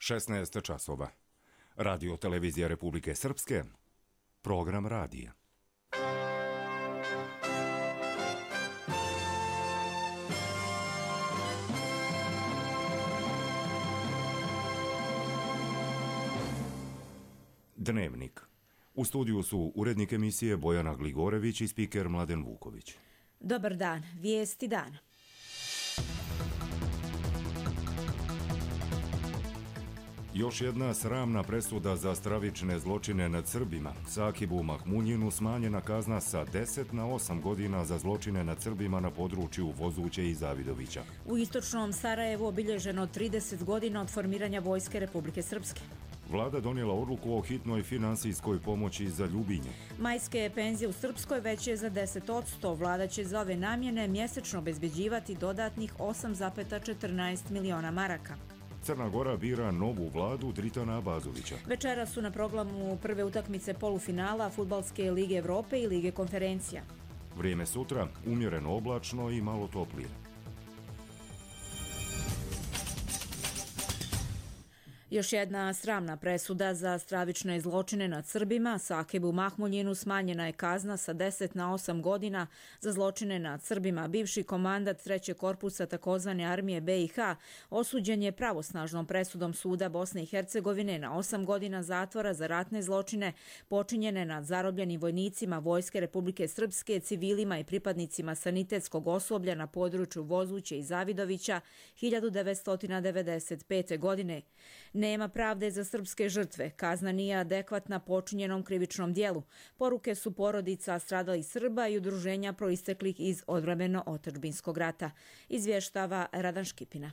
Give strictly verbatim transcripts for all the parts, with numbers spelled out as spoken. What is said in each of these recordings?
šesnaest časova. Radio televizija Republike Srpske, program radija. Dnevnik. U studiju su urednik emisije Bojana Gligorević i spiker Mladen Vuković. Dobar dan, vijesti dana. Još jedna sramna presuda za stravične zločine nad Srbima. Sakibu Mahmunjinu smanjena kazna sa deset na osam godina za zločine nad Srbima na području Vozuće i Zavidovića. U istočnom Sarajevu obilježeno trideset godina od formiranja Vojske Republike Srpske. Vlada donijela odluku o hitnoj finansijskoj pomoći za Ljubinje. Majske penzije u Srpskoj veće je za deset posto. Vlada će za ove namjene mjesečno obezbeđivati dodatnih osam zarez četrnaest miliona maraka. Crna Gora bira novu vladu Dritana Abazovića. Večera su na programu prve utakmice polufinala Fudbalske lige Evrope i Lige konferencija. Vrijeme sutra umjereno oblačno i malo toplije. Još jedna sramna presuda za stravične zločine nad Srbima. Sakibu Mahmunjinu smanjena je kazna sa deset na osam godina za zločine nad Srbima. Bivši komandat trećeg korpusa takozvane armije B i H osuđen je pravosnažnom presudom suda Bosne i Hercegovine na osam godina zatvora za ratne zločine počinjene nad zarobljenim vojnicima Vojske Republike Srpske, civilima i pripadnicima sanitetskog osoblja na području Vozuće i Zavidovića hiljadu devetsto devedeset pete. godine. Nema pravde za srpske žrtve, kazna nije adekvatna počinjenom krivičnom dijelu. Poruke su porodica stradalih Srba i udruženja proisteklih iz odbrambeno-otadžbinskog rata. Izvještava Radan Škipina.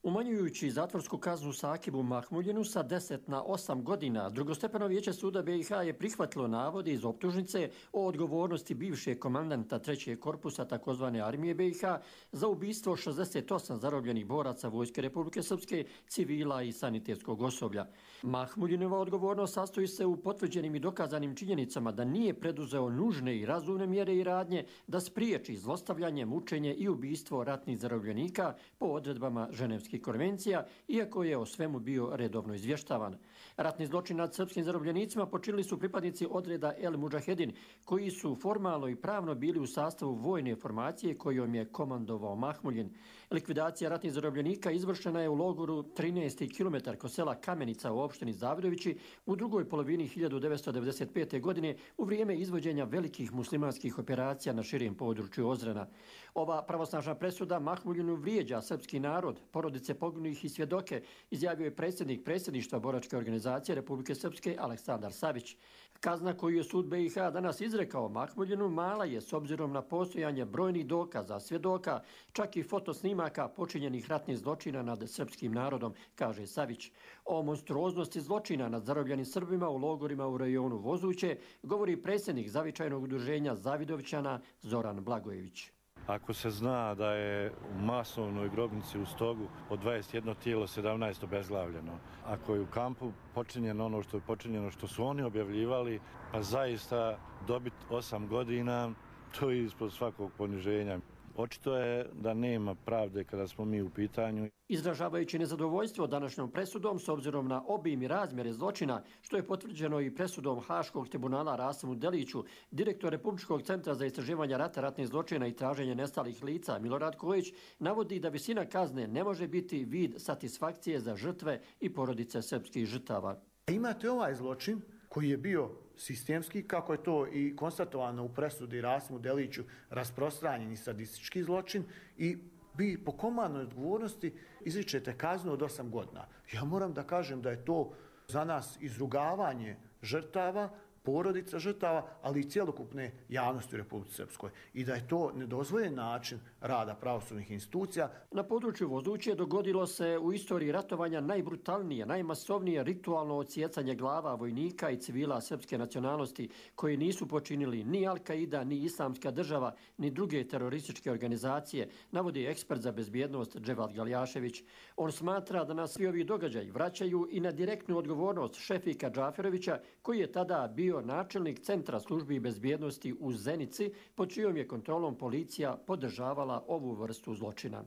Umanjujući zatvorsku kaznu Sakibu Mahmunjinu sa deset na osam godina, drugostepeno vijeće suda B i H je prihvatilo navode iz optužnice o odgovornosti bivšeg komandanta trećeg korpusa takozvane armije B i H za ubistvo šezdeset osam zarobljenih boraca Vojske Republike Srpske, civila i sanitetskog osoblja. Mahmunjinova odgovornost sastoji se u potvrđenim i dokazanim činjenicama da nije preduzeo nužne i razumne mjere i radnje da spriječi zlostavljanje, mučenje i ubistvo ratnih zarobljenika po odredbama Ženevskih konvencija, iako je o svemu bio redovno izvještavan. Ratni zločin nad srpskim zarobljenicima počinili su pripadnici odreda El Mudžahedin, koji su formalno i pravno bili u sastavu vojne formacije kojom je komandovao Mahmunjin. Likvidacija ratnih zarobljenika izvršena je u logoru trinaest kilometara kod sela Kamenica u opštini Zavidovići u drugoj polovini hiljadu devetsto devedeset pete. godine u vrijeme izvođenja velikih muslimanskih operacija na širem području Ozrena. Ova pravosnažna presuda Mahmunjinu vrijeđa srpski narod, porodice poginulih i svjedoke, izjavio je predsjednik predsjedništva Boračke organizacije Republike Srpske Aleksandar Savić. Kazna koju je sud B i H danas izrekao Mahmunjinu mala je s obzirom na postojanje brojnih dokaza, svjedoka, čak i fotosnimaka počinjenih ratnih zločina nad srpskim narodom, kaže Savić. O monstruoznosti zločina nad zarobljenim Srbima u logorima u rajonu Vozuće govori predsjednik zavičajnog udruženja Zavidovićana Zoran Blagojević. Ako se zna da je u masovnoj grobnici u Stogu od dvadeset jedno tijelo sedamnaest obezglavljeno, ako je u kampu počinjeno ono što je počinjeno što su oni objavljivali, pa zaista dobiti osam godina, to je ispod svakog poniženja. Očito je da nema pravde kada smo mi u pitanju. Izražavajući nezadovoljstvo današnjom presudom s obzirom na obim i razmjere zločina, što je potvrđeno i presudom Haškog tribunala Rasimu Deliću, direktor Republičkog centra za istraživanje rata, ratnih zločina i traženje nestalih lica Milorad Kojić navodi da visina kazne ne može biti vid satisfakcije za žrtve i porodice srpskih žrtava. Imate ovaj zločin koji je bio sistemski, kako je to i konstatovano u presudi Rasimu Deliću, rasprostranjeni sadistički zločin i vi po komandnoj odgovornosti izričete kaznu od osam godina. Ja moram da kažem da je to za nas izrugavanje žrtava, porodica žrtava, ali i cjelokupne javnosti u Republici Srpskoj. I da je to nedozvoljen način rada pravosudnih institucija. Na području Vozuće dogodilo se u istoriji ratovanja najbrutalnije, najmasovnije ritualno odsjecanje glava vojnika i civila srpske nacionalnosti koji nisu počinili ni Al-Qaida, ni Islamska država, ni druge terorističke organizacije, navodi ekspert za bezbjednost Dževad Galjašević. On smatra da nas svi ovi događaji vraćaju i na direktnu odgovornost Šefika Džaferovića, koji je tada bio načelnik Centra službi bezbjednosti u Zenici, pod čijom je kontrolom policija podržavala ovu vrstu zločina.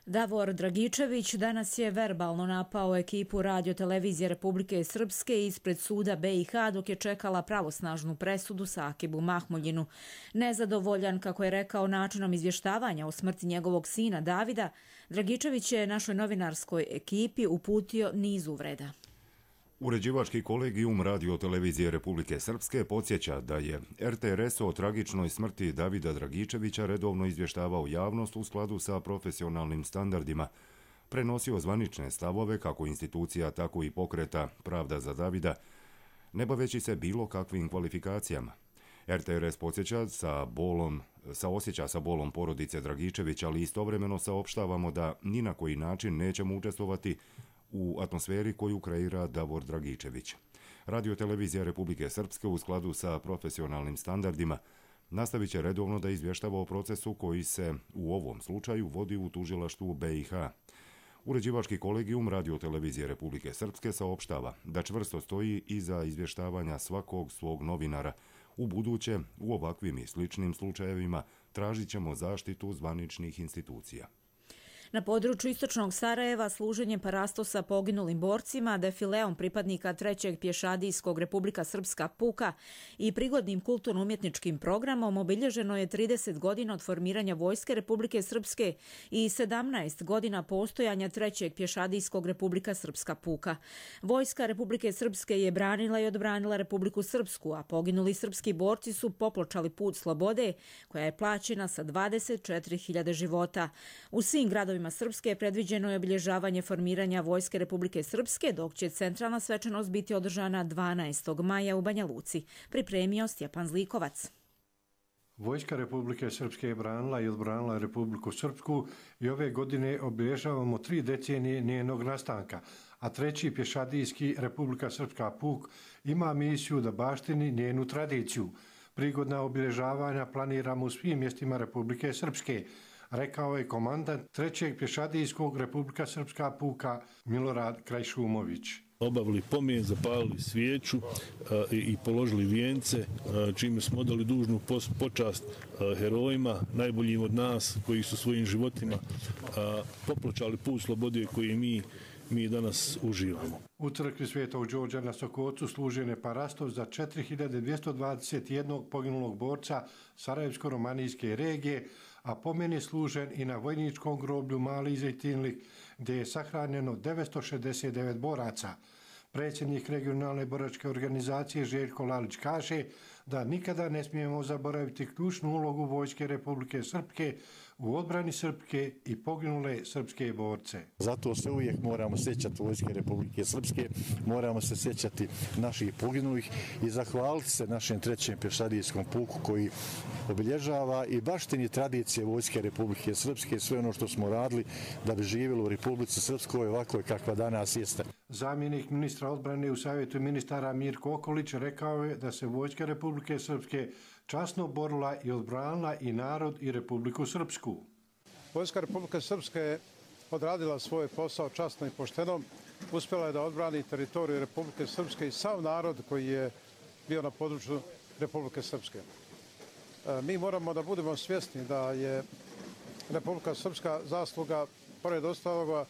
Davor Dragičević danas je verbalno napao ekipu Radio televizije Republike Srpske ispred suda B i H dok je čekala pravosnažnu presudu Sakibu Mahmuljinu. Nezadovoljan, kako je rekao, načinom izvještavanja o smrti njegovog sina Davida, Dragičević je našoj novinarskoj ekipi uputio niz uvreda. Uređivački kolegijum Radio televizije Republike Srpske podsjeća da je R T R S o tragičnoj smrti Davida Dragičevića redovno izvještavao javnost u skladu sa profesionalnim standardima, prenosio zvanične stavove kako institucija, tako i pokreta Pravda za Davida, ne baveći se bilo kakvim kvalifikacijama. R T R S podsjeća sa bolom, saosjeća sa bolom porodice Dragičevića, ali istovremeno saopštavamo da ni na koji način nećemo učestvovati u atmosferi koju kreira Davor Dragičević. Radio televizija Republike Srpske u skladu sa profesionalnim standardima nastavit će redovno da izvještava o procesu koji se u ovom slučaju vodi u tužilaštvu B i H. Uređivački kolegijum Radio televizije Republike Srpske saopštava da čvrsto stoji iza izvještavanja svakog svog novinara. U buduće, u ovakvim i sličnim slučajevima, tražit ćemo zaštitu zvaničnih institucija. Na području istočnog Sarajeva služenje parastosa poginulim borcima, defileom pripadnika trećeg pješadijskog Republika Srpska puka i prigodnim kulturno-umjetničkim programom obilježeno je trideset godina od formiranja Vojske Republike Srpske i sedamnaest godina postojanja trećeg pješadijskog Republika Srpska puka. Vojska Republike Srpske je branila i odbranila Republiku Srpsku, a poginuli srpski borci su popločali put slobode, koja je plaćena sa dvadeset četiri hiljade života. U svim gradovima Srpske predviđeno je obilježavanje formiranja Vojske Republike Srpske, dok će centralna svečanost biti održana dvanaestog maja u Banja Luci, pripremio Stjepan Zlikovac. Vojska Republike Srpske je branila i odbranila Republiku Srpsku i ove godine obilježavamo tri decenije njenog nastanka, a treći pješadijski Republika Srpska puk ima misiju da baštini njenu tradiciju. Prigodna obilježavanja planiramo u svim mjestima Republike Srpske, rekao je komandant trećeg pješadijskog Republika Srpska puka Milorad Krajšumović. Obavili pomen, zapalili svijeću a, i, i položili vijence, a, čime smo odali dužnu pos, počast a, herojima, najboljim od nas koji su svojim životima a, popločali put slobode koji mi mi danas uživamo. U crkvi Svetog Đorđa na Sokocu služen je parastov za četiri hiljade dvjesto dvadeset jedan poginulog borca Sarajevsko-romanijske regije, a pomen je služen i na vojničkom groblju Mali Zejtinlik, gdje je sahranjeno devetsto šezdeset devet boraca. Predsjednik regionalne boračke organizacije Željko Lalić kaže da nikada ne smijemo zaboraviti ključnu ulogu Vojske Republike Srpske u odbrani Srpske i poginule srpske borce. Zato se uvijek moramo sjećati Vojske Republike Srpske, moramo se sjećati naših poginulih i zahvaliti se našem trećem pješadijskom puku koji obilježava i baštini tradicije Vojske Republike Srpske, sve ono što smo radili da bi živjelo u Republici Srpskoj ovako kakva danas jeste. Zamjenik ministra odbrane u Savjetu ministara Mirko Okolić rekao je da se Vojska Republike Srpske časno borila i odbranila i narod i Republiku Srpsku. Vojska Republike Srpske je odradila svoj posao časno i pošteno. Uspjela je da odbrani teritoriju Republike Srpske i sav narod koji je bio na području Republike Srpske. Mi moramo da budemo svjesni da je Republika Srpska zasluga, pored ostaloga,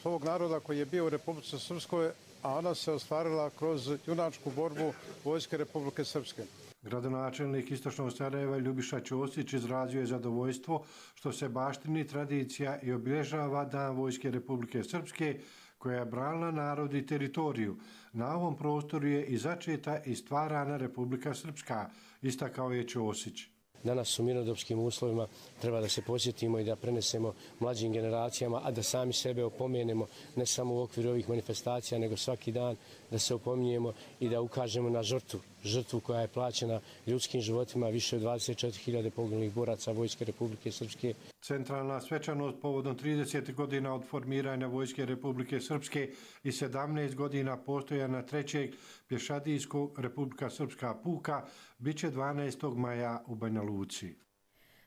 svog naroda koji je bio u Republici Srpskoj, a ona se ostvarila kroz junačku borbu Vojske Republike Srpske. Gradonačelnik Istočnog Sarajeva Ljubiša Ćosić izrazio je zadovoljstvo što se baštini tradicija i obilježava Dan Vojske Republike Srpske koja je branila narod i teritoriju. Na ovom prostoru je i začeta i stvarana Republika Srpska, istakao je Ćosić. Danas u mirnodopskim uslovima treba da se posjetimo i da prenesemo mlađim generacijama, a da sami sebe opomenemo ne samo u okviru ovih manifestacija, nego svaki dan da se opominjemo i da ukažemo na žrtvu, žrtvu koja je plaćena ljudskim životima, više od dvadeset četiri hiljade poginulih boraca Vojske Republike Srpske. Centralna svečanost povodom trideset godina od formiranja Vojske Republike Srpske i sedamnaest godina postojanja trećeg pješadijskog Republika Srpska puka biće dvanaestog maja u Banja Luci.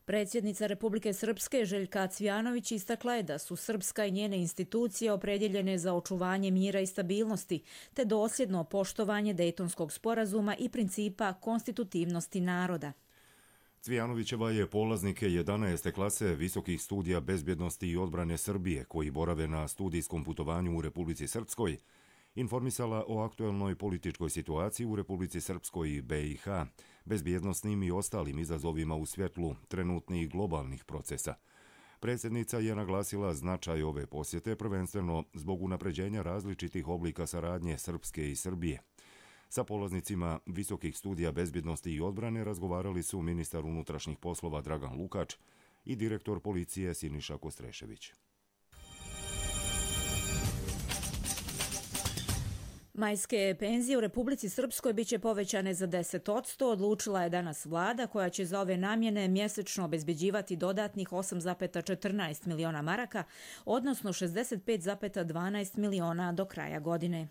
Predsjednica Republike Srpske Željka Cvijanović istakla je da su Srpska i njene institucije opredjeljene za očuvanje mira i stabilnosti, te dosljedno poštovanje Dejtonskog sporazuma i principa konstitutivnosti naroda. Cvijanovićeva je polaznike jedanaeste klase visokih studija bezbjednosti i odbrane Srbije, koji borave na studijskom putovanju u Republici Srpskoj, informisala o aktuelnoj političkoj situaciji u Republici Srpskoj i B i H, bezbjednosnim i ostalim izazovima u svjetlu trenutnih globalnih procesa. Predsjednica je naglasila značaj ove posjete prvenstveno zbog unapređenja različitih oblika saradnje Srpske i Srbije. Sa polaznicima visokih studija bezbjednosti i odbrane razgovarali su ministar unutrašnjih poslova Dragan Lukač i direktor policije Siniša Kostrešević. Majske penzije u Republici Srpskoj biće povećane za deset posto, odlučila je danas vlada koja će za ove namjene mjesečno obezbeđivati dodatnih osam zarez četrnaest miliona maraka, odnosno šezdeset pet zarez dvanaest miliona do kraja godine.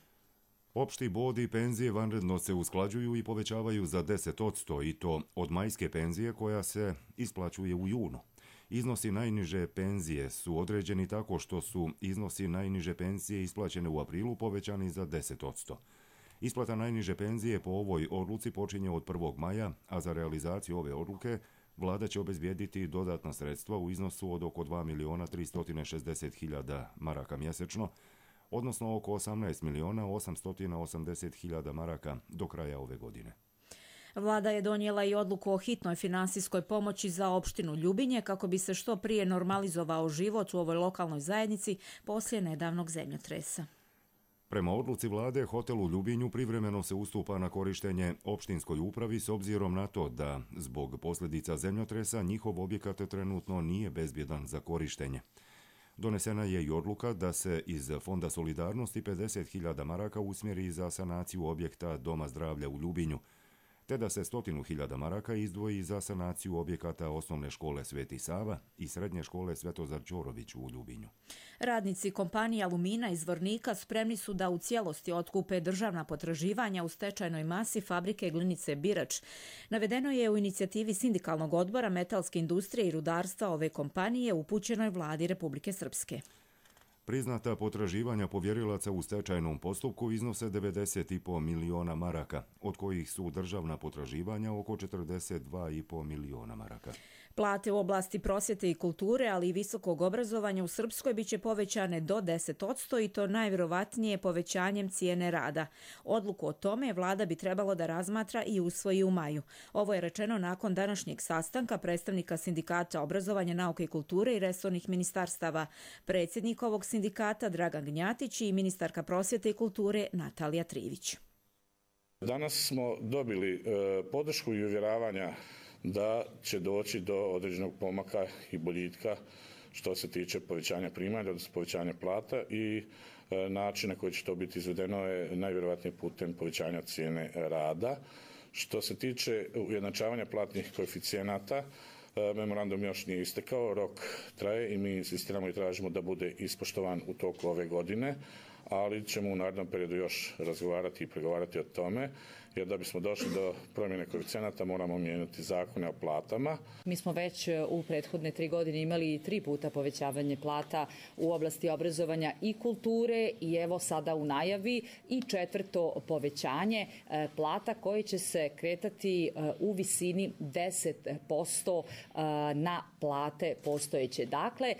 Opšti bod i penzije vanredno se usklađuju i povećavaju za deset posto i to od majske penzije koja se isplaćuje u junu. Iznosi najniže penzije su određeni tako što su iznosi najniže penzije isplaćene u aprilu povećani za deset posto. Isplata najniže penzije po ovoj odluci počinje od prvog maja, a za realizaciju ove odluke vlada će obezbijediti dodatna sredstva u iznosu od oko dva miliona tristo šezdeset hiljada maraka mjesečno, odnosno oko osamnaest miliona osamsto osamdeset hiljada maraka do kraja ove godine. Vlada je donijela i odluku o hitnoj finansijskoj pomoći za opštinu Ljubinje kako bi se što prije normalizovao život u ovoj lokalnoj zajednici poslije nedavnog zemljotresa. Prema odluci vlade, hotel u Ljubinju privremeno se ustupa na korištenje opštinskoj upravi s obzirom na to da, zbog posljedica zemljotresa, njihov objekat trenutno nije bezbjedan za korištenje. Donesena je i odluka da se iz Fonda solidarnosti pedeset hiljada maraka usmjeri za sanaciju objekta Doma zdravlja u Ljubinju, te da se sto hiljada maraka izdvoji za sanaciju objekata osnovne škole Sveti Sava i srednje škole Svetozar Ćorović u Ljubinju. Radnici kompanije Alumina iz Zvornika spremni su da u cijelosti otkupe državna potraživanja u stečajnoj masi fabrike glinice Birač. Navedeno je u inicijativi Sindikalnog odbora metalske industrije i rudarstva ove kompanije upućenoj vladi Republike Srpske. Priznata potraživanja povjerilaca u stečajnom postupku iznose devedeset zarez pet miliona maraka, od kojih su državna potraživanja oko četrdeset dva zarez pet miliona maraka. Plate u oblasti prosvjete i kulture, ali i visokog obrazovanja u Srpskoj biće povećane do deset posto i to najvjerovatnije povećanjem cijene rada. Odluku o tome vlada bi trebalo da razmatra i usvoji u maju. Ovo je rečeno nakon današnjeg sastanka predstavnika Sindikata obrazovanja, nauke i kulture i resornih ministarstava. Predsjednik ovog sindikata Dragan Gnjatić i ministarka prosvjete i kulture Natalija Trivić. Danas smo dobili e, podršku i uvjeravanja da će doći do određenog pomaka i boljitka što se tiče povećanja primanja, odnosno povećanja plata i e, način na koji će to biti izvedeno je najvjerojatnije putem povećanja cijene rada. Što se tiče ujednačavanja platnih koeficijenata, e, memorandum još nije istekao, rok traje i mi insistiramo i tražimo da bude ispoštovan u toku ove godine, ali ćemo u narednom periodu još razgovarati i pregovarati o tome, jer da bismo došli do promjene koeficijenata moramo mijenjati zakone o platama. Mi smo već u prethodne tri godine imali tri puta povećavanje plata u oblasti obrazovanja i kulture i evo sada u najavi i četvrto povećanje plata koje će se kretati u visini deset posto na plate postojeće. Dakle,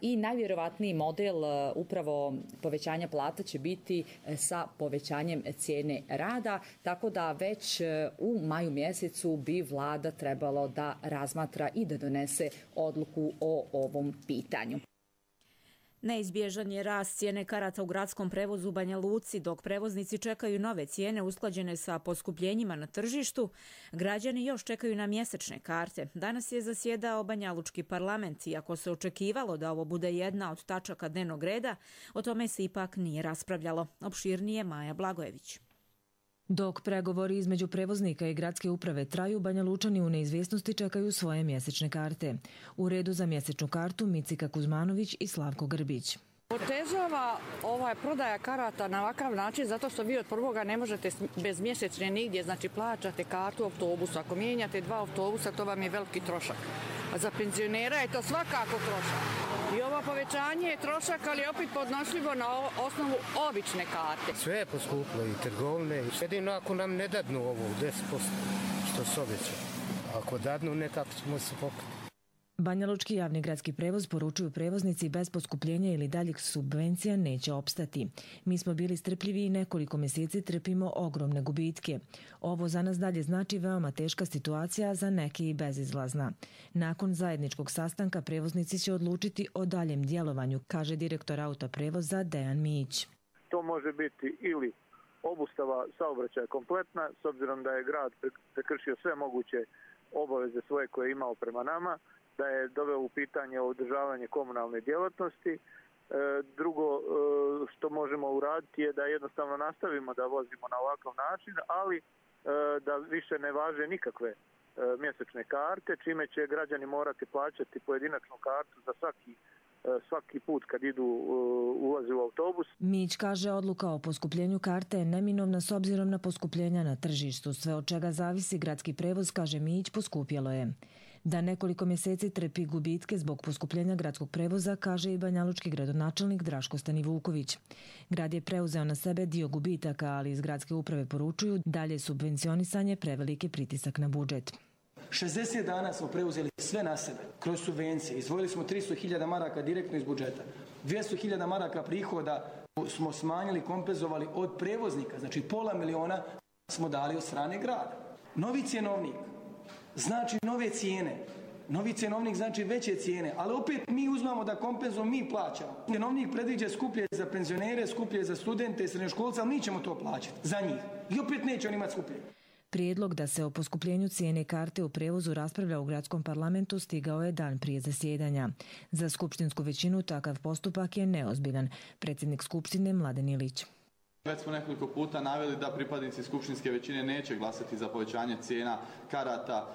i najvjerovatniji model upravo povećanja plata će biti sa povećanjem cijene rada, tako da već u maju mjesecu bi vlada trebalo da razmatra i da donese odluku o ovom pitanju. Neizbježan je rast cijene karata u gradskom prevozu u Banja Luci, dok prevoznici čekaju nove cijene usklađene sa poskupljenjima na tržištu. Građani još čekaju na mjesečne karte. Danas je zasjedao Banjalučki parlament, iako se očekivalo da ovo bude jedna od tačaka dnevnog reda, o tome se ipak nije raspravljalo. Opširnije Maja Blagojević. Dok pregovori između prevoznika i gradske uprave traju, Banjalučani u neizvjesnosti čekaju svoje mjesečne karte. U redu za mjesečnu kartu Micika Kuzmanović i Slavko Grbić. Otežava ova prodaja karata na ovakav način zato što vi od prvoga ne možete bez mjesečne nigdje, znači plaćate kartu autobusu. Ako mijenjate dva autobusa, to vam je veliki trošak. A za penzionera je to svakako trošak. I ovo povećanje je trošak, ali opet podnošljivo na osnovu obične karte. Sve je poskuplo i trgovine. Jedino ako nam ne dadnu ovo deset posto što se obeća. ako dadnu, ne kako ćemo se pokriti. Banja Lučki javni gradski prevoz poručuju prevoznici bez poskupljenja ili daljih subvencija neće opstati. Mi smo bili strpljivi i nekoliko mjeseci trpimo ogromne gubitke. Ovo za nas dalje znači veoma teška situacija, za neke i bezizlazna. Nakon zajedničkog sastanka prevoznici će odlučiti o daljem djelovanju, kaže direktor autoprevoza Dejan Mijić. To može biti ili obustava saobraćaja kompletna, s obzirom da je grad prekršio sve moguće obaveze svoje koje je imao prema nama, da je doveo u pitanje održavanje komunalne djelatnosti. Drugo što možemo uraditi je da jednostavno nastavimo da vozimo na ovakav način, ali da više ne važe nikakve mjesečne karte, čime će građani morati plaćati pojedinačnu kartu za svaki svaki put kad idu ulazi u autobus. Mić kaže odluka o poskupljenju karte je neminovna s obzirom na poskupljenja na tržištu. Sve od čega zavisi gradski prevoz, kaže Mić, poskupjelo je. Da nekoliko mjeseci trpi gubitke zbog poskupljenja gradskog prevoza, kaže i banjalučki gradonačelnik Draško Stanivuković. Grad je preuzeo na sebe dio gubitaka, ali iz gradske uprave poručuju dalje subvencionisanje preveliki pritisak na budžet. šezdeset dana smo preuzeli sve na sebe, kroz subvencije. Izdvojili smo tristo hiljada maraka direktno iz budžeta. dvjesto hiljada maraka prihoda smo smanjili, kompenzovali od prevoznika. Znači pola miliona smo dali od strane grada. Novi cjenovnik znači nove cijene. Novi cjenovnik znači veće cijene, ali opet mi uzmamo da kompenzujemo, mi plaćamo. Cjenovnik predviđa skuplje za penzionere, skuplje za studente, srednjoškolce, ali mi ćemo to plaćati za njih. I opet neće on imati skuplje. Prijedlog da se o poskupljenju cijene karte u prevozu raspravlja u gradskom parlamentu stigao je dan prije zasjedanja. Za skupštinsku većinu takav postupak je neozbiljan. Predsjednik skupštine Mladen Ilić. Već smo nekoliko puta naveli da pripadnici skupštinske većine neće glasati za povećanje cijena karata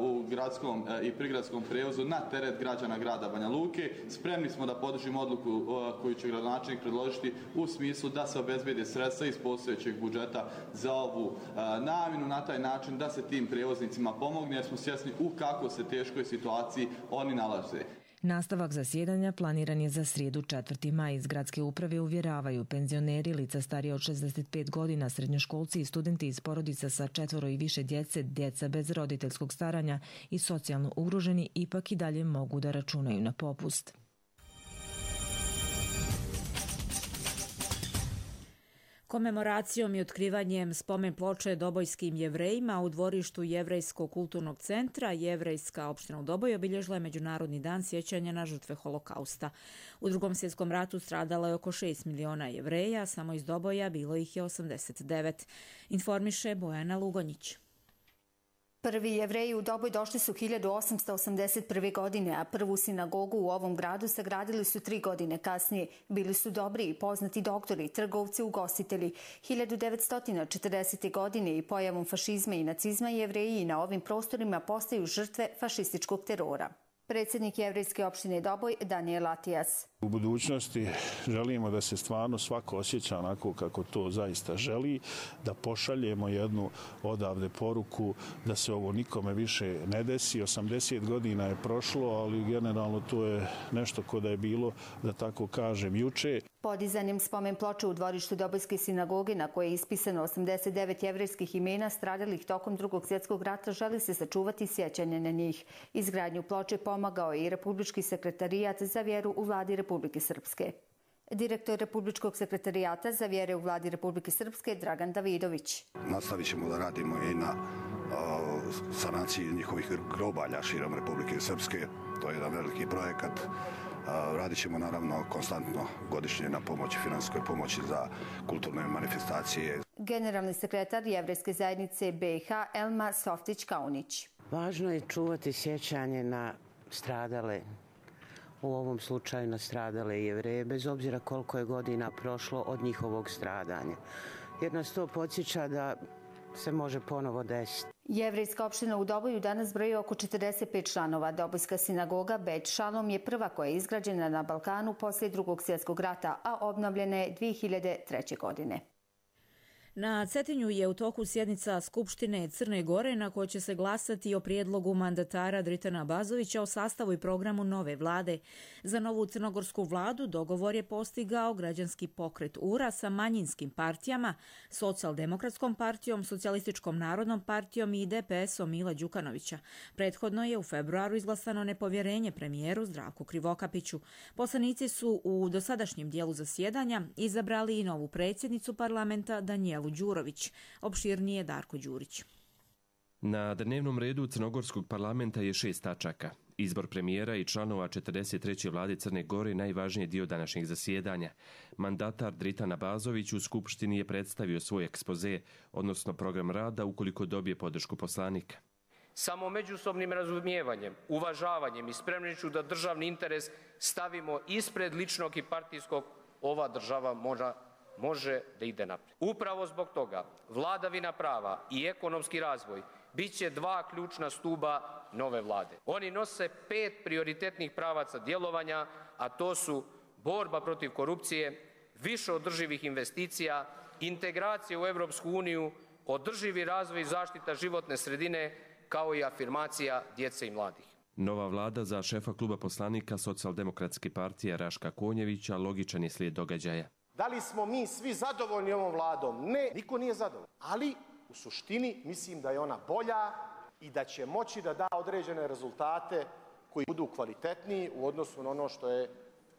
uh, u gradskom uh, i prigradskom prevozu na teret građana grada Banja Luke. Spremni smo da podržimo odluku uh, koju će gradonačelnik predložiti u smislu da se obezbede sredstva iz postojećeg budžeta za ovu uh, namjenu, na taj način da se tim prevoznicima pomogne, jer smo svjesni u kako se teškoj situaciji oni nalaze. Nastavak zasjedanja planiran je za srijedu četvrti maj. Iz gradske uprave uvjeravaju penzioneri, lica starije od šezdeset pet godina, srednjoškolci i studenti iz porodica sa četvoro i više djece, djeca bez roditeljskog staranja i socijalno ugroženi ipak i dalje mogu da računaju na popust. Komemoracijom i otkrivanjem spomen ploče dobojskim jevrejima u dvorištu Jevrejskog kulturnog centra Jevrejska opština u Doboj obilježila je Međunarodni dan sjećanja na žrtve Holokausta. U Drugom svjetskom ratu stradalo je oko šest miliona jevreja, samo iz Doboja bilo ih je osamdeset devet. Informiše Bojana Lugonjić. Prvi jevreji u Doboj došli su hiljadu osamsto osamdeset prve. godine, a prvu sinagogu u ovom gradu sagradili su tri godine kasnije. Bili su dobri i poznati doktori, trgovci, ugostitelji. hiljadu devetsto četrdesete. godine i pojavom fašizma i nacizma jevreji na ovim prostorima postaju žrtve fašističkog terora. Predsjednik Jevrejske opštine Doboj Daniel Atijas. U budućnosti želimo da se stvarno svako osjeća onako kako to zaista želi, da pošaljemo jednu odavde poruku da se ovo nikome više ne desi. osamdeset godina je prošlo, ali generalno to je nešto ko da je bilo, da tako kažem, juče. Podizanjem spomen ploče u dvorištu Dobojske sinagoge, na koje je ispisano osamdeset devet jevrejskih imena stradalih tokom Drugog svjetskog rata, želi se sačuvati sjećanje na njih. Izgradnju ploče pomagao je i Republički sekretarijat za vjeru u vladi Republike Srpske. Direktor Republičkog sekretarijata za vjere u vladi Republike Srpske Dragan Davidović. Nastavit ćemo da radimo i na o, sanaciji njihovih grobalja širom Republike Srpske. To je jedan veliki projekat. Radit ćemo naravno konstantno godišnje na pomoći, finansijskoj pomoći za kulturne manifestacije. Generalni sekretar Jevrejske zajednice B i H Elma Softić-Kaunić. Važno je čuvati sjećanje na stradale, u ovom slučaju na stradale jevreje, bez obzira koliko je godina prošlo od njihovog stradanja. Jer nas to podsjeća da se može ponovo desiti. Jevrejska opština u Doboju danas broji oko četrdeset pet članova. Dobojska sinagoga Bet Šalom je prva koja je izgrađena na Balkanu poslije Drugog svjetskog rata, a obnovljena je dvije hiljade treće. godine. Na Cetinju je u toku sjednica Skupštine Crne Gore na kojoj će se glasati o prijedlogu mandatara Dritana Bazovića o sastavu i programu nove vlade. Za novu crnogorsku vladu dogovor je postigao građanski pokret U R A sa manjinskim partijama, Socijaldemokratskom partijom, Socijalističkom narodnom partijom i D P S-om Mila Đukanovića. Prethodno je u februaru izglasano nepovjerenje premijeru Zdravku Krivokapiću. Poslanici su u dosadašnjem dijelu zasjedanja izabrali i novu predsjednicu parlamenta Danijelu Đurović. Opširnije Darko Đurić. Na dnevnom redu Crnogorskog parlamenta je šest tačaka. Izbor premijera i članova četrdeset treće vlade Crne Gore najvažniji dio današnjeg zasjedanja. Mandatar Dritan Abazović u Skupštini je predstavio svoj ekspoze, odnosno program rada ukoliko dobije podršku poslanika. Samo međusobnim razumijevanjem, uvažavanjem i spremnošću da državni interes stavimo ispred ličnog i partijskog, ova država mora može da ide naprijed. Upravo zbog toga vladavina prava i ekonomski razvoj bit će dva ključna stuba nove vlade. Oni nose pet prioritetnih pravaca djelovanja, a to su borba protiv korupcije, više održivih investicija, integracija u Europsku uniju, održivi razvoj i zaštita životne sredine, kao i afirmacija djece i mladih. Nova vlada za šefa kluba poslanika Socijaldemokratske partije Raška Konjevića logičan je slijed događaja. Da li smo mi svi zadovoljni ovom vladom? Ne, niko nije zadovoljan. Ali u suštini mislim da je ona bolja i da će moći da da određene rezultate koji budu kvalitetniji u odnosu na ono što je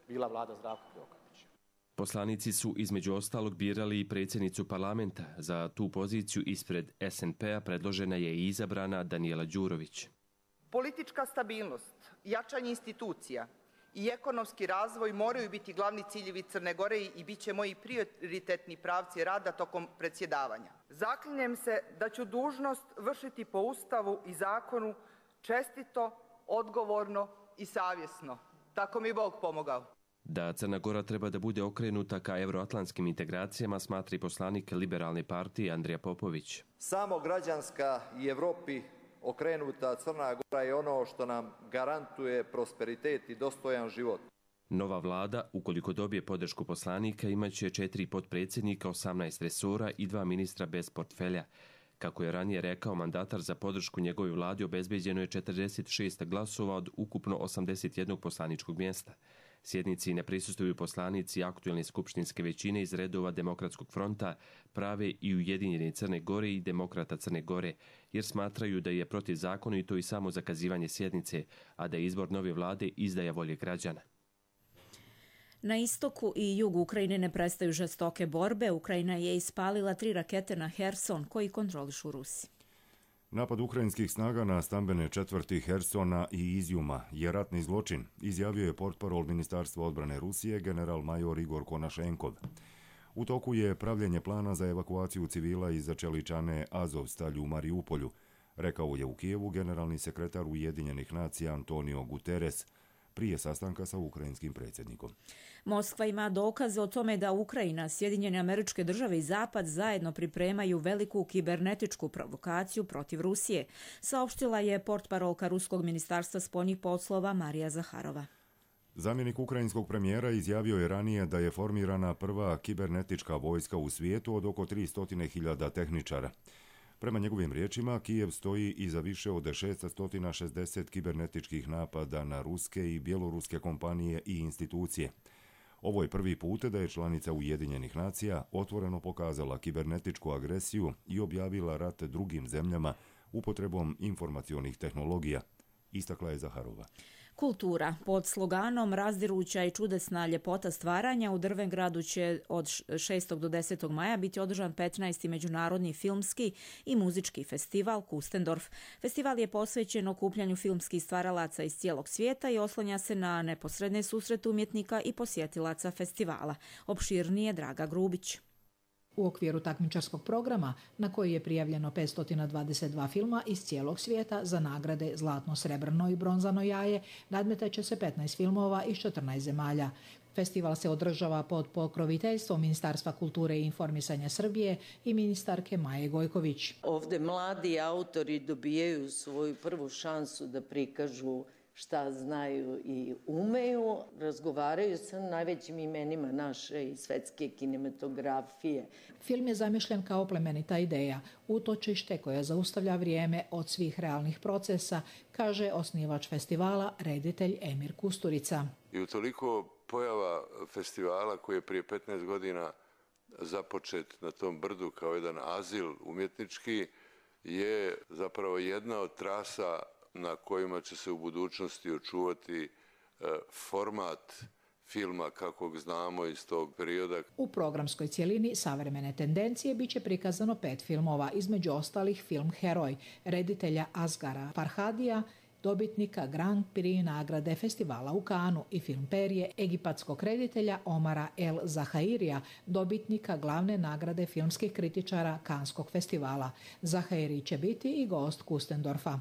bila vlada Zdravka Krivokapića. Poslanici su između ostalog birali i predsjednicu parlamenta. Za tu poziciju ispred S N P-a predložena je i izabrana Danijela Đurović. Politička stabilnost, jačanje institucija i ekonomski razvoj moraju biti glavni ciljevi Crne Gore i bit će moji prioritetni pravci rada tokom predsjedavanja. Zaklinjem se da ću dužnost vršiti po Ustavu i zakonu čestito, odgovorno i savjesno. Tako mi Bog pomogao. Da Crna Gora treba da bude okrenuta ka euroatlantskim integracijama, smatri poslanik Liberalne partije Andrija Popović. Samo građanska i Evropi okrenuta Crna Gora je ono što nam garantuje prosperitet i dostojan život. Nova vlada, ukoliko dobije podršku poslanika, imaće četiri potpredsjednika, osamnaest resora i dva ministra bez portfelja. Kako je ranije rekao mandatar, za podršku njegove vlade obezbeđeno je četrdeset šest glasova od ukupno osamdeset jednog poslaničkog mjesta. Sjednici ne prisustvuju poslanici aktuelne skupštinske većine iz redova Demokratskog fronta, Prave i Ujedinjene Crne Gore i Demokrata Crne Gore, jer smatraju da je protivzakonito i samo zakazivanje sjednice, a da je izbor nove vlade izdaja volje građana. Na istoku i jugu Ukrajine ne prestaju žestoke borbe. Ukrajina je ispalila tri rakete na Herson, koji kontrolišu Rusi. Napad ukrajinskih snaga na stambene četvrti Hersona i Izjuma je ratni zločin, izjavio je portparol Ministarstva odbrane Rusije general major Igor Konašenkov. U toku je pravljenje plana za evakuaciju civila iz Čeličane Azovstalju u Mariupolju, rekao je u Kijevu generalni sekretar Ujedinjenih nacija Antonio Guterres prije sastanka sa ukrajinskim predsjednikom. Moskva ima dokaze o tome da Ukrajina, Sjedinjene Američke Države i Zapad zajedno pripremaju veliku kibernetičku provokaciju protiv Rusije, saopštila je portparolka Ruskog ministarstva spoljnih poslova Marija Zaharova. Zamjenik ukrajinskog premijera izjavio je ranije da je formirana prva kibernetička vojska u svijetu od oko tristo hiljada tehničara. Prema njegovim riječima, Kijev stoji iza više od šesto šezdeset kibernetičkih napada na ruske i bjeloruske kompanije i institucije. Ovo je prvi put da je članica Ujedinjenih nacija otvoreno pokazala kibernetičku agresiju i objavila rat drugim zemljama upotrebom informacionih tehnologija, istakla je Zaharova. Kultura. Pod sloganom Razdiruća i čudesna ljepota stvaranja u Drvengradu će od šestog do desetog maja biti održan petnaesti međunarodni filmski i muzički festival Kustendorf. Festival je posvećen okupljanju filmskih stvaralaca iz cijelog svijeta i oslanja se na neposredne susrete umjetnika i posjetilaca festivala. Opširnije Draga Grubić. U okviru takmičarskog programa, na koji je prijavljeno petsto dvadeset dva filma iz cijelog svijeta za nagrade Zlatno, srebrno i bronzano jaje, nadmetaće se petnaest filmova iz četrnaest zemalja. Festival se održava pod pokroviteljstvom Ministarstva kulture i informisanja Srbije i ministarke Maje Gojković. Ovde mladi autori dobijaju svoju prvu šansu da prikažu šta znaju i umeju, razgovaraju sa najvećim imenima naše i svetske kinematografije. Film je zamišljen kao plemenita ideja, utočište koje zaustavlja vrijeme od svih realnih procesa, kaže osnivač festivala, reditelj Emir Kusturica. I utoliko pojava festivala koji je prije petnaest godina započet na tom brdu kao jedan azil umjetnički je zapravo jedna od trasa na kojima će se u budućnosti očuvati format filma kakvog znamo iz tog perioda. U programskoj cjelini savremene tendencije biće prikazano pet filmova, između ostalih film Heroj, reditelja Asgara Farhadija, dobitnika Grand Prix nagrade festivala u Kanu, i film Perje egipatskog reditelja Omara El Zahairija, dobitnika glavne nagrade filmskih kritičara Kanskog festivala. Zahairi će biti i gost Kustendorfa.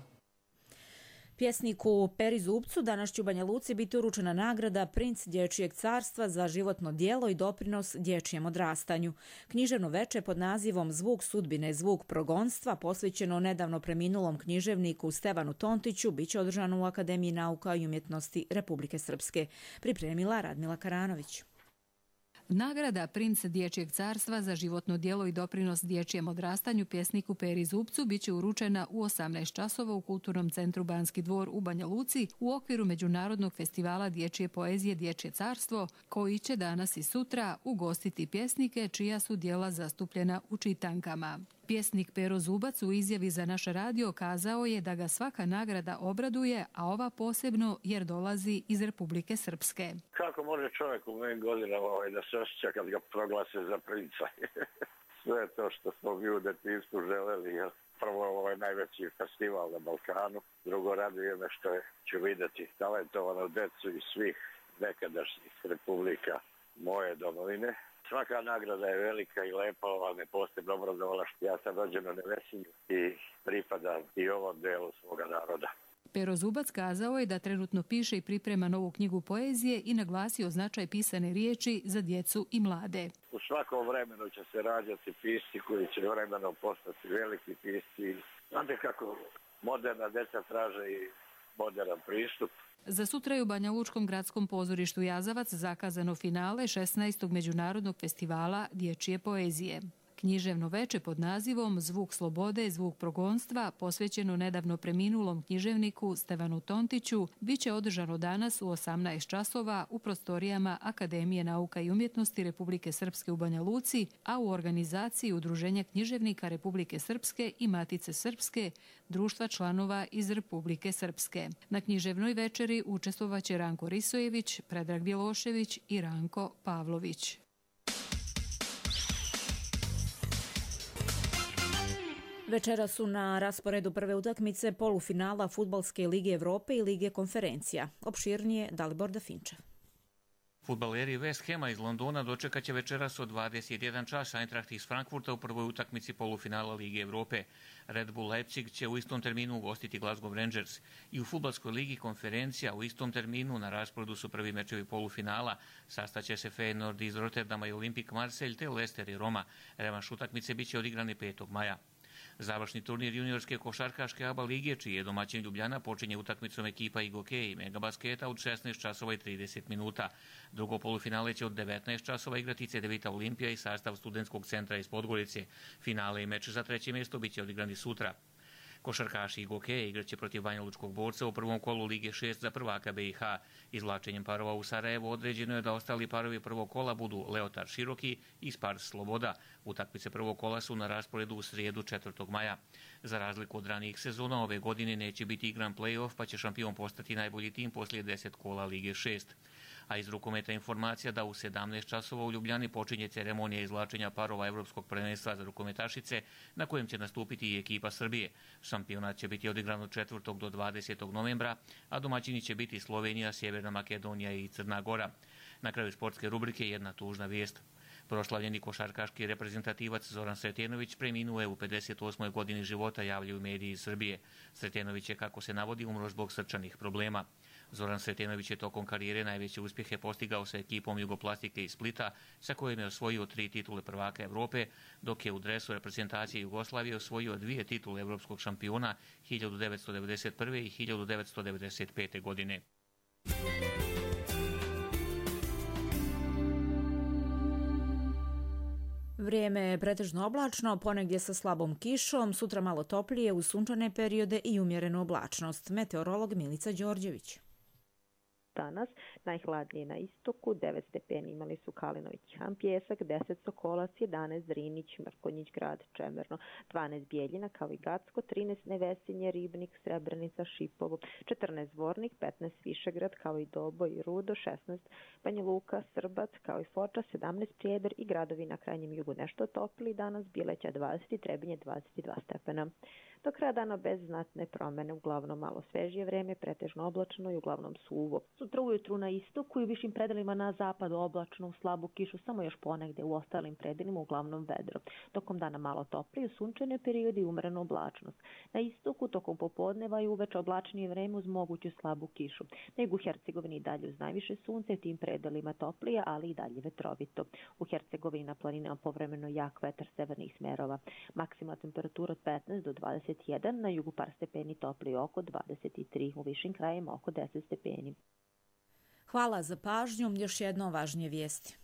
Pjesniku Peri Zubcu danas će u Banja Luci biti uručena nagrada Princ dječjeg carstva za životno djelo i doprinos dječjem odrastanju. Književno veče pod nazivom Zvuk sudbine, zvuk progonstva, posvećeno nedavno preminulom književniku Stevanu Tontiću, biće održano u Akademiji nauka i umjetnosti Republike Srpske. Pripremila Radmila Karanović. Nagrada Princ dječjeg carstva za životno djelo i doprinos dječjem odrastanju pjesniku Peri Zubcu biće uručena u osamnaest časova u Kulturnom centru Banski dvor u Banja Luci u okviru Međunarodnog festivala dječje poezije Dječje carstvo, koji će danas i sutra ugostiti pjesnike čija su djela zastupljena u čitankama. Pjesnik Pero Zubac u izjavi za naš radio kazao je da ga svaka nagrada obraduje, a ova posebno jer dolazi iz Republike Srpske. Kako može čovjek u mojim godinama ovaj, da se osjeća kad ga proglase za princa? Sve to što smo mi u detinjstvu želeli. Jel? Prvo ovaj najveći festival na Balkanu, drugo raduje me što je, ću vidjeti talentovanu decu iz svih nekadašnjih republika moje domovine. Svaka nagrada je velika i lepa, ali me posebno obrazovala što ja sam rođen u Nevesinju i pripadam i ovom delu svoga naroda. Pero Zubac kazao je da trenutno piše i priprema novu knjigu poezije i naglasio značaj pisane riječi za djecu i mlade. U svakom vremenu će se rađati pisci koji će vremenom postati veliki pisci. Znate kako moderna djeca traže i modern pristup. Za sutra je u Banja Lučkom gradskom pozorištu Jazavac zakazano finale šesnaestog Međunarodnog festivala dječje poezije. Književno veče pod nazivom Zvuk slobode, zvuk progonstva, posvećeno nedavno preminulom književniku Stevanu Tontiću, bit će održano danas u osamnaest časova u prostorijama Akademije nauka i umjetnosti Republike Srpske u Banja Luci, a u organizaciji Udruženja književnika Republike Srpske i Matice Srpske, društva članova iz Republike Srpske. Na književnoj večeri učestvovaće Ranko Risojević, Predrag Bjelošević i Ranko Pavlović. Večera su na rasporedu prve utakmice polufinala Fudbalske lige Evrope i Lige konferencija. Opširnije Dalibor Dafinčev. Fudbaleri West Hama iz Londona dočekat će večeras od dvadeset jedan čas Eintracht iz Frankfurta u prvoj utakmici polufinala Lige Evrope. Red Bull Leipzig će u istom terminu ugostiti Glasgow Rangers. I u Fudbalskoj ligi konferencija u istom terminu na rasporedu su prvi mečevi polufinala. Sastaće se Feyenoord iz Rotterdama i Olympique Marseille te Leicester i Roma. Revanš utakmice biće odigrani petog maja. Završni turnir juniorske košarkaške A B A lige, čiji je domaćin Ljubljana, počinje utakmicom ekipa Igoke i Megabasketa od šesnaest časova i trideset minuta. Drugo polufinale će od devetnaest časova igrati Cedevita Olimpija i sastav studentskog centra iz Podgorice. Finale i meč za treće mjesto biće odigrani sutra. Košarkaši Igoke igraće protiv Banja Lučkog Borca u prvom kolu Lige šest za prvaka B i H. Izvlačenjem parova u Sarajevo određeno je da ostali parovi prvog kola budu Leotar Široki i Spars Sloboda. Utakmice prvog kola su na rasporedu u srijedu četvrtog maja. Za razliku od ranijih sezona, ove godine neće biti igran play-off, pa će šampion postati najbolji tim poslije deset kola Lige šest. A iz rukometa informacija da u sedamnaest časova u Ljubljani počinje ceremonija izvlačenja parova Evropskog prvenstva za rukometašice, na kojem će nastupiti i ekipa Srbije. Šampionat će biti odigran od četvrtog do dvadesetog novembra, a domaćini će biti Slovenija, Sjeverna Makedonija i Crna Gora. Na kraju sportske rubrike jedna tužna vijest. Proslavljeni košarkaški reprezentativac Zoran Sretenović preminuo je u pedeset osmoj godini života, javljaju mediji iz Srbije. Sretenović je, kako se navodi, umro zbog srčanih problema. Zoran Sretenović je tokom karijere najveće uspjehe postigao sa ekipom Jugoplastike iz Splita, sa kojim je osvojio tri titule prvaka Evrope, dok je u dresu reprezentacije Jugoslavije osvojio dvije titule evropskog šampiona hiljadu devetsto devedeset prve. i hiljadu devetsto devedeset pete. godine. Vrijeme je pretežno oblačno, ponegdje sa slabom kišom, sutra malo toplije uz sunčane periode i umjerenu oblačnost. Meteorolog Milica Đorđević. Danas najhladnije na istoku, devet stepeni imali su Kalinović, Han Pjesak, deset Sokolac, jedanaest Drinić, Mrkonjić grad, Čemerno, dvanaest Bijeljina kao i Gacko, trinaest Nevesinje, Ribnik, Srebrenica, Šipovo, četrnaest Zvornik, petnaest Višegrad kao i Doboj i Rudo, šesnaest Banja Luka, Srbac kao i Foča, sedamnaest Prijedor i gradovi na krajnjem jugu nešto topli, danas Bileća dvadeset, Trebinje dvadeset dva stepena. Do kraja dana bez znatne promjene, uglavnom malo svežije vreme, pretežno oblačno i uglavnom suvo. Sutra ujutru na istoku i u višim predelima na zapadu oblačno, u slabu kišu, samo još ponegde u ostalim predelima uglavnom vedro. Tokom dana malo toplije, sunčane periodi i umrenu oblačnost. Na istoku tokom popodneva i uveče oblačnije vreme uz moguću slabu kišu. Na jugu Hercegovini dalje uz najviše sunce, tim predelima toplije, ali i dalje vetrovito. U Hercegovini na planinama povremeno jak vetar severnih smerova. Maksimalna temperatura od petnaest do dvadeset jedan, na jugu par stepeni toplije oko dvadeset tri, u višim krajima oko deset stepeni. Hvala za pažnju, još jedno važnije vijesti.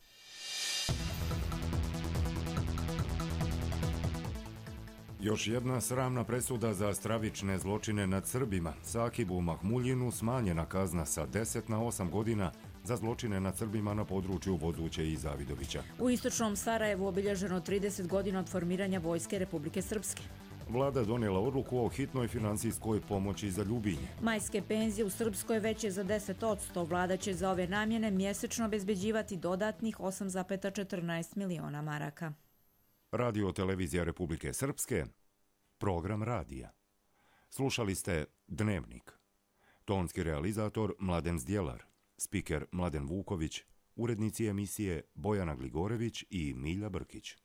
Još jedna sramna presuda za stravične zločine nad Srbima. Sakibu Mahmuljinu smanjena kazna sa deset na osam godina za zločine nad Srbima na području Vozuće i Zavidovića. U istočnom Sarajevu obilježeno trideset godina od formiranja Vojske Republike Srpske. Vlada donijela odluku o hitnoj financijskoj pomoći za Ljubinje. Majske penzije u Srpskoj veće za deset posto. Vlada će za ove namjene mjesečno obezbeđivati dodatnih osam zarez četrnaest miliona maraka. Radio Televizija Republike Srpske, program radija. Slušali ste Dnevnik. Tonski realizator Mladen Zdjelar, spiker Mladen Vuković, urednici emisije Bojana Gligorević i Milja Brkić.